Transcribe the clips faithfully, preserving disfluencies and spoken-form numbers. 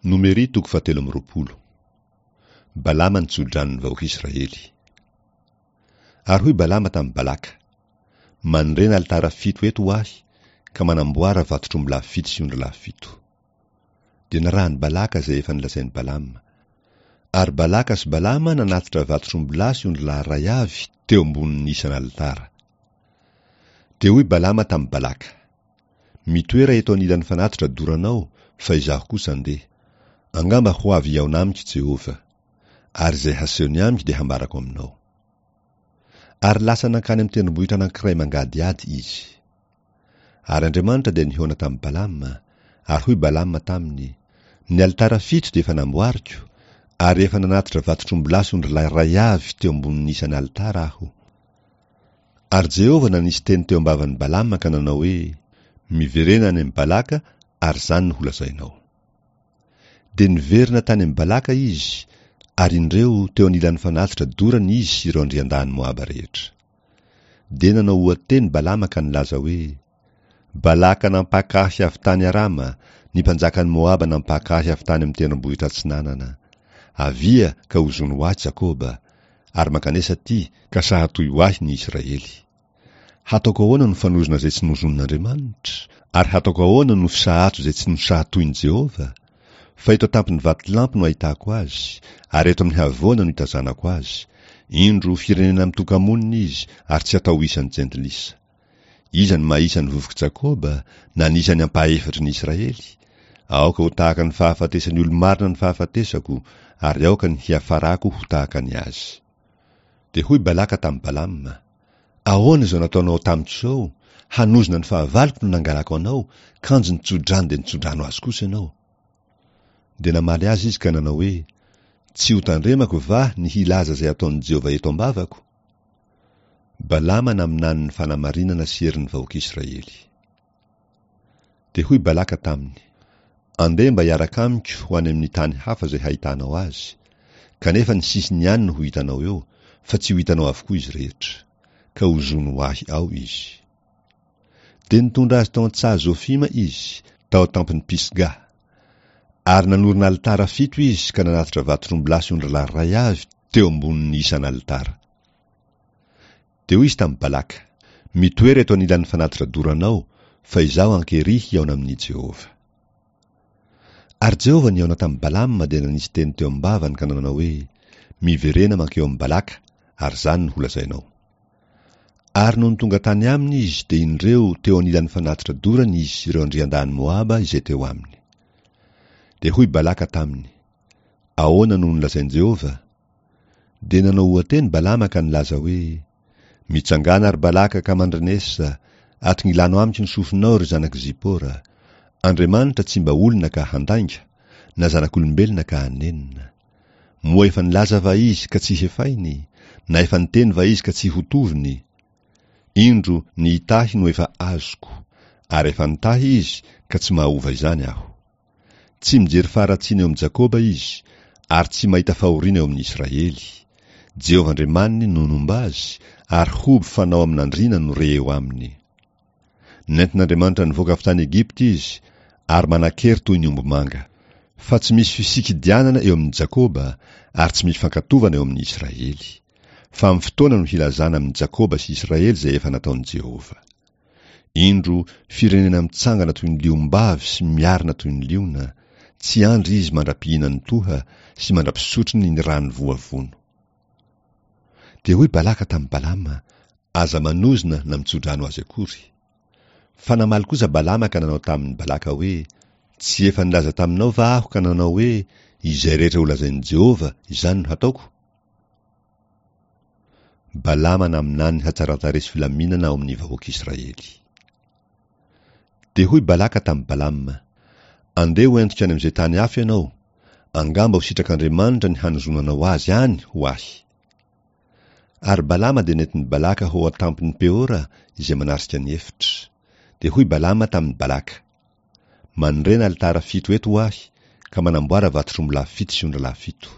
Nomery toko fahatelo amby roapolo. Balama nitso-drano ny vahoaka Israely. Ary hoy Balama tamin'i Balaka, Manorena alitara fito eto ho ahy, ka manamboara vatotr'ombilahy fito sy ondrilahy fito. Dia narahan'i Balaka izay efa nolazain'i Balama. Ary Balaka sy Balama nanatitra vatotr'ombilahy sy ondrilahy iray avy teo ambonin'ny isan'alitara. Dia hoy Balama tamin'i Balaka, Mitoera eto anilan'ny fanatitra doranao, fa izaho kosa andeha. Angamba ho avy hihaona amiko Jehovah. Ary izay hasehony amiko dia hambarako aminao. Ary lasa nankany amin'ny tendrombohitra anankiray mangadihady izy. Ary Andriamanitra dia nihaona tamin'i Balama, ary hoy Balama taminy, Ny alitara fito dia efa namboariko, ary efa nanatitra vatotr'ombilahy sy ondrilahy iray avy teo ambonin'ny isan'alitara aho. Ary Jehovah nanisy teny teo am-bavan'i Balama ka nanao hoe, Miverena any amin'i Balaka, ary izany no holazainao. Dia niverina tany amin'i Balaka izy, ary indreo, teo anilan'ny fanatitra dorana izy sy ireo andriandahin'i Moaba rehetra. Dia nanao oha-teny Balama ka nilaza hoe, Balaka nampaka ahy avy tany Arama, ny mpanjakan'i Moaba nampaka ahy avy tany amin'ny tendrombohitra atsinanana. Avia, ka ozòny ho ahy Jakoba, ary mankanesa aty, ka sahatoy ho ahy ny Israely. Hataoko ahoana no fanozona izay tsy nozonin'Andriamanitra? Ary hataoko ahoana no fisahato izay tsy nosahatoin'i Jehovah? Fa eto an-tampon'ny vatolampy no ahitako azy, ary eto amin'ny havoana no itazanako azy. Indro, firenena mitoka-monina izy, ary tsy atao ho isan'ny jentilisa. Iza no mahisa ny vovok'i Jakoba, na ny isan'ny ampahefatry ny Israely? Aoka ho tahaka ny fahafatesan'ny olo-marina ny fahafatesako, ary aoka ny hiafarako ho tahaka ny azy. Dia hoy Balaka tamin'i Balama, Ahoana izao nataonao tamiko izao? Hanozona ny fahavaloko no nangalako anao, kanjo nitso-drano dia nitso-drano azy kosa ianao. Dia namaly azy izy ka nanao hoe, Tsy hotandremako va ny hilaza izay ataon'i Jehovah eto am-bavako? Balama naminany ny fanamarinana sy herin'ny vahoaka Israely. Dia hoy Balaka taminy, Andeha mba hiaraka amiko ho any amin'ny tany hafa izay hahitanao azy, kanefa ny sisiny ihany no ho hitanao eo, fa tsy ho hitanao avokoa izy rehetra. Ka ozòny ho ahy ao izy. Dia nitondra azy tao an-tsaha Zofima izy, tao an-tampon'i Pisga. Ary nanorina alitara fito izy ka nanatitra vatotr'ombilahy sy ondrilahy iray avy teo ambonin'ny isan'alitara. Dia hoy izy tamin'i Balaka, Mitoera eto anilan'ny fanatitra doranao, fa izaho ankery hihaona amin'i Jehovah. Ary Jehovah nihaona tamin'i Balama dia nanisy teny teo am-bavany ka nanao hoe, Miverena mankeo amin'i Balaka, ary izany no holazainao. Ary nony tonga tany aminy izy, dia indreo, teo anilan'ny fanatitra dorany izy sy ireo andriandahin'i Moaba izay teo aminy. Dia hoy Balaka taminy, Ahoana no nolazain'i Jehovah? Dia nanao oha-teny Balama ka nilaza hoe, Mitsangàna, ry Balaka, ka mandrenesa, atongilano amiko ny sofinao, ry zanak'i Zipora. Andriamanitra tsy mba olona ka handainga, na zanak'olombelona ka hanenina. Moa efa nilaza va izy ka tsy hefainy, na efa niteny va izy ka tsy hotoviny? Indro, ny hitahy no efa azoko, ary efa nitahy izy ka tsy mahova izany aho. Tsy mijery faharatsiana eo amin'i Jakoba izy, ary tsy mahita fahoriana eo amin'i Israely. Jehovah Andriamaniny no nomba azy, ary hoby fanao amin'andriana no re eo aminy. Nentin'Andriamanitra nivoaka avy tany Egypta izy, ary manan-kery toy ny ombimanga. Fa tsy misy fisikidianana eo amin'i Jakoba, ary tsy misy fankatovana eo amin'i Israely. Fa amin'ny fotoana no hilazana amin'i Jakoba sy Israely izay efa nataon'i Jehovah. Indro, firenena mitsangana toy ny liom-bavy sy miarina toy ny liona, tsy andry izy mandra-pihinany toha sy mandra-pisotrony ny rano voavono. Dia hoy Balaka tamin'i Balama, Aza manozona na mitso-drano azy akory. Fa namaly kosa Balama ka nanao tamin'i Balaka hoe, Tsy efa nilaza taminao va aho ka nanao hoe, Izay rehetra holazain'i Jehovah, izany no hataoko? Balama naminany hatsaran-tarehy sy filaminana ao amin'ny vahoaka Israely. Dia hoy Balaka tamin'i Balama, Andeha ho entiko any amin'izay tany hafa ianao, angamba ho sitrak'Andriamanitra ny hanozonanao azy any ho ahy. Ary Balama dia nentin'i Balaka ho ao an-tampon'i Peora izay manarika ny efitra. Dia hoy Balama tamin'i Balaka, Manorena alitara fito eto ho ahy, ka manamboara vatotr'ombilahy fito sy ondralahy fito.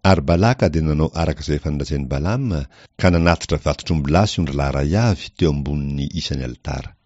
Ary Balaka dia nanao araka izay efa nolazain'i Balama, ka nanatitra vatotr'ombilahy sy ondrilahy iray avy teo ambonin'ny isan'ny alitara.